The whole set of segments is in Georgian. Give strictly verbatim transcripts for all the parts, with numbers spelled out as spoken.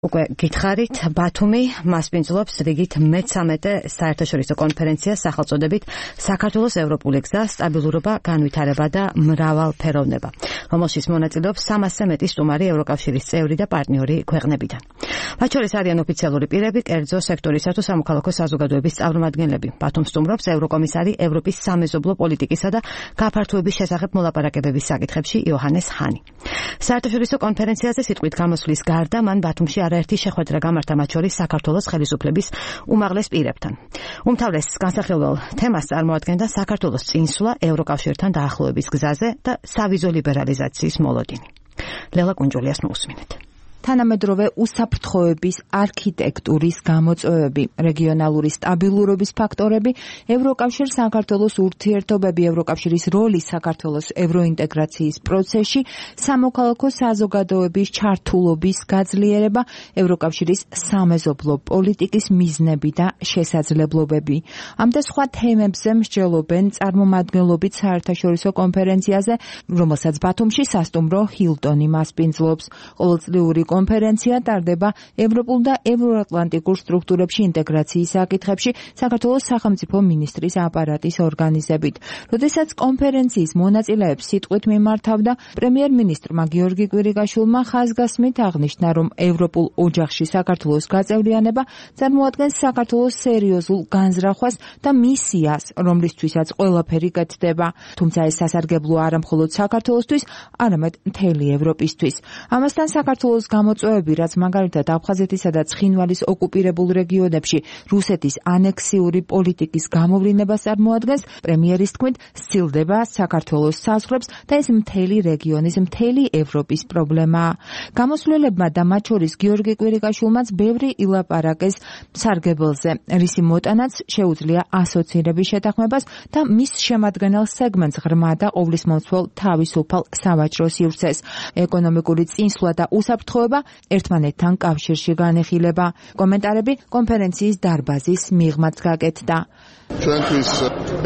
უკვე გითხარით, ბათუმი მასპინძლობს რიგით მეცამეტე საერთაშორისო კონფერენციას სახელწოდებით საქართველოს ევროპული გზა, სტაბილურობა, განვითარება და მრავალფეროვნება, რომელშიც მონაწილეობს სამასზე მეტი სტუმარი ევროკავშირის წევრი და პარტნიორი ქვეყნებიდან. მათ შორის არიან ოფიციალური პირები, კერძო სექტორისა თუ სამოქალაქო საზოგადოების წარმომადგენლები. ბათუმს სტუმრობს ევროკომისარი ევროპის სამეზობლო პოლიტიკისა და გაფართოების შესახებ მოლაპარაკებების საკითხებში იოჰანეს ჰანი. საერთაშორისო კონფერენციაზე სიტყვით გამოსვლის გარდა მან ბათუმში არაერთი შეხვედრა გამართა, მათ შორის საქართველოს ხელისუფლების უმაღლეს პირებთან. უმთავრეს განსახილველ თემას წარმოადგენდა საქართველოს წინსვლა ევროკავშირთან დაახლოების გზაზე და სავიზო ლიბერალიზაციის მოლოდინი. ლელა კუნჯულიას მოусმინეთ. თანამედროვე უსაფრთხოების არქიტექტურის გამოწვევები, რეგიონალური სტაბილურობის ფაქტორები, ევროკავშირ საქართველოს ურთიერთობები, ევროკავშირის როლი საქართველოს ევროინტეგრაციის პროცესში, სამოქალაქო საზოგადოების ჩართულობის გაძლიერება, ევროკავშირის სამეზობლო პოლიტიკის მიზნები და შესაძლებლობები. ამ და სხვა თემებზე მსჯელობენ წარმომადგენლობით საერთაშორისო კონფერენციაზე, რომელსაც ბათუმში სასტუმრო ჰილტონი მასპინძლობს. ყოველწლიური კონფერენცია ტარდება ევროპულ და ევროატლანტიკურ სტრუქტურებში ინტეგრაციის საკითხებში საქართველოს სახელმწიფო მინისტრის აპარატის ორგანიზებით. როდესაც კონფერენციის მონაწილეებს სიტყვით მიმართავდა, პრემიერ-მინისტრმა გიორგი კვირიკაშვილმა ხაზგასმით აღნიშნა, რომ ევროპულ ოჯახში საქართველოს გაწევრიანება წარმოადგენს საქართველოს სერიოზულ განზრახვას და მისიას, რომლისთვისაც ყველაფერი კეთდება. თუმცა ეს სასარგებლოა არა მხოლოდ საქართველოსთვის, არამედ მთელი ევროპისთვის. ამასთან საქართველოს გამოწვევები, რაც მაგალითად აფხაზეთისა და ცხინვალის ოკუპირებულ რეგიონებში რუსეთის ანექსიური პოლიტიკის გამოვლინებას წარმოადგენს, პრემიერის თქმით, სცილდება საქართველოს საზღვრებს და ეს მთელი რეგიონის, მთელი ევროპის პრობლემაა. გამოსვლებმა და მათ შორის გიორგი კვირიკაშვილმაც ბევრი ილაპარაკეს სარგებელზე, რისი მოტანაც შეუძლია ასოცირების შეთანხმებას და მის შემადგენელ სეგმენტს ღრმა და ყოვლისმომცველ თავისუფალ სავაჭრო სივრცეს. ეკონომიკური წინსვლა და უსაფრთხოება ერთმანეთთან კავშირში განეხილება. კომენტარები კონფერენციის დარბაზის მიღმაც გაკეთდა. ჩვენთვის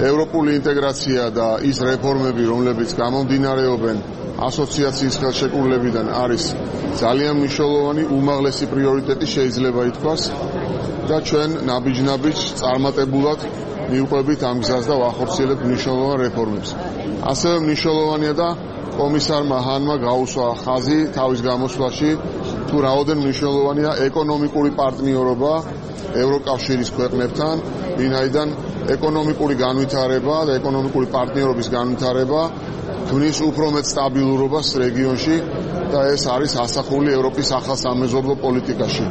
ევროპული ინტეგრაცია და ის რეფორმები, რომლებიც გამომდინარეობენ ასოციაციის ხელშეკრულებიდან, არის ძალიან მნიშვნელოვანი, უმაღლესი პრიორიტეტი შეიძლება ითქვას და ჩვენ ნაბიჯ-ნაბიჯ წარმატებულად მივყვებით ამ გზას და ვახორციელებთ მნიშვნელოვან რეფორმებს. ასევე მნიშვნელოვანია და კომისარმა ჰანმა გაუსვა ხაზი თავის გამოსვლაში, თუ რაოდენ მნიშვნელოვანია ეკონომიკური პარტნიორობა ევროკავშირის ქვეყნებთან, ვინაიდან ეკონომიკური განვითარება და ეკონომიკური პარტნიორობის განვითარება ქმნის უფრო მეტ სტაბილურობას რეგიონში და ეს არის ასახული ევროპის ახალ სამეზობლო პოლიტიკაში.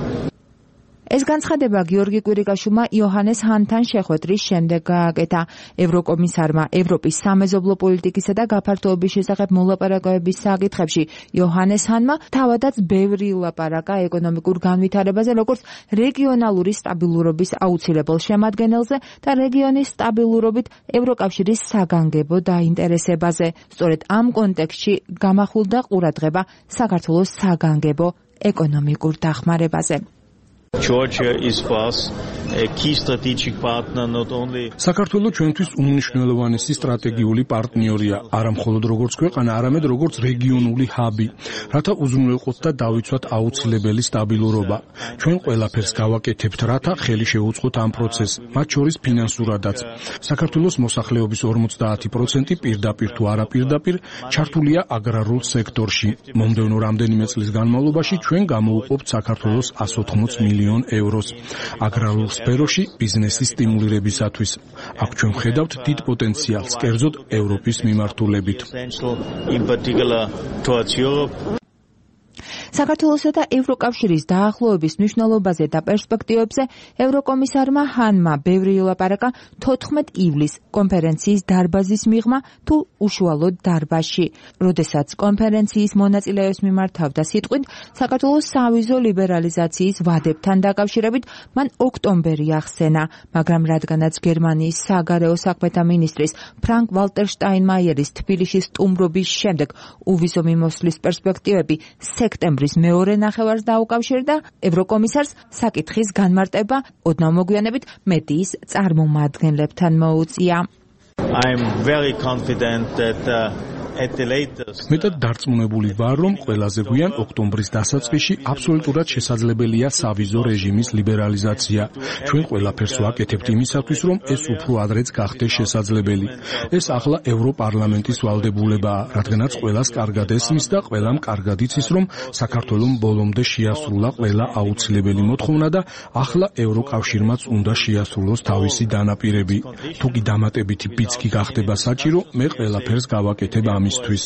ეს განცხადება გიორგი კვირიკაშვილმა იოჰანეს ჰანთან შეხვედრის შემდეგ გააკეთა. ევროკომისარმა ევროპის სამეზობლო პოლიტიკისა და გაფართოების შესახებ მოლაპარაკებების საკითხებში იოჰანეს ჰანმა თავადაც ბევრი ილაპარაკა ეკონომიკურ განვითარებაზე, როგორც რეგიონალური სტაბილურობის აუცილებელ შემადგენელზე და რეგიონის სტაბილურობით ევროკავშირის საგანგებო დაინტერესებაზე. სწორედ ამ კონტექსტში გამახვილდა ყურადღება საქართველოს საგანგებო ეკონომიკურ დახმარებაზე. Georgia is for us a key strategic partner not only საქართველოს ჩვენთვის უმნიშვნელოვანესი სტრატეგიული პარტნიორია, არა მხოლოდ როგორც ქვეყანა, არამედ როგორც რეგიონული ჰაბი, რათა უზრუნველყოთ და დავიცვათ აუცილებელი სტაბილურობა. ჩვენ ყველაფერს გავაკეთებთ, რათა ხელი შეუწყოთ ამ პროცესს, მათ შორის ფინანსურადაც. საქართველოს მოსახლეობის ორმოცდაათი პროცენტი პირდაპირ თუ არაპირდაპირ ჩართულია აგრარულ სექტორში. მომდევნო რამდენიმე წლის განმავლობაში ჩვენ გამოვუყოფთ საქართველოს εκατს ოთხმოც მილიონ ევროს აგრარულ სფეროში ბიზნესის სტიმულირებისათვის. აქ ჩვენ ვხედავთ დიდ პოტენციალს, კერძოდ ევროპის მიმართულებით. საქართველოსა და ევროკავშირის დაახლოების მნიშვნელობაზე და პერსპექტივებზე ევროკომისარმა ჰანმა ბევრი ილაპარაკა თოთხმეტ ივლისს კონფერენციის დარბაზის მიღმა თუ უშუალოდ დარბაზში. როდესაც კონფერენციის მონაწილეებს მიმართავდა სიტყვით საქართველოს სავიზო ლიბერალიზაციის ვადებთან დაკავშირებით, მან ოქტომბერი ახსენა, მაგრამ რადგანაც გერმანიის საგარეო საქმეთა მინისტრის ფრანკ ვალტერ შტაინმაიერის თბილისში სტუმრობის შემდეგ უვიზო მიმოსვლის პერსპექტივები სექტემბრის მეორე ნახევარს დაუკავშირდა, ევროკომისარს საკითხის განმარტება ოდნავ მოგვიანებით მედიის წარმომადგენლებთან მოუწია. I'm very confident that uh, მეტად დარწმუნებული ვარ, რომ ყველაზე გვიან ოქტომბრის დასაწყისში აბსოლუტურად შესაძლებელია სავიზო რეჟიმის ლიბერალიზაცია. ჩვენ ყველაფერს ვაკეთებთ იმისათვის, რომ ეს უფრო ადრეც გახდეს შესაძლებელი. ეს ახლა ევროპარლამენტის ვალდებულებაა, რადგანაც ყველას კარგად ესმის და ყველამ კარგად იცის, რომ საქართველოს ბოლომდე შეასრულა ყველა აუცილებელი მოთხოვნა და ახლა ევროკავშირმაც უნდა შეასრულოს თავისი დანაპირები. თუ კი დამატებითი პიცკი გახდება საჭირო, მე ყველაფერს გავაკეთებ ამისთვის.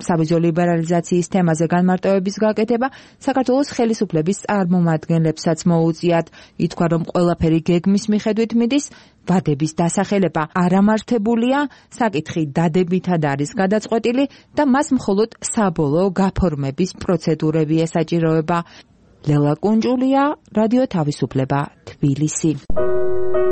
სავიზო ლიბერალიზაციის თემაზე განმარტოების გაკეთება საქართველოს ხელისუფლების წარმომადგენლებსაც მოუწიათ. ითქვა, რომ ყველაფერი გეგმის მიხედვით მიდის, ვადების დასახელება არ ამართებულია, საკითხი დადებითად არის გადაწყვეტილი და მას მხოლოდ საბოლოო გაფორმების პროცედურები ესაჭიროება. ლელა კუნჯულია, რადიო თავისუფლება, თბილისი.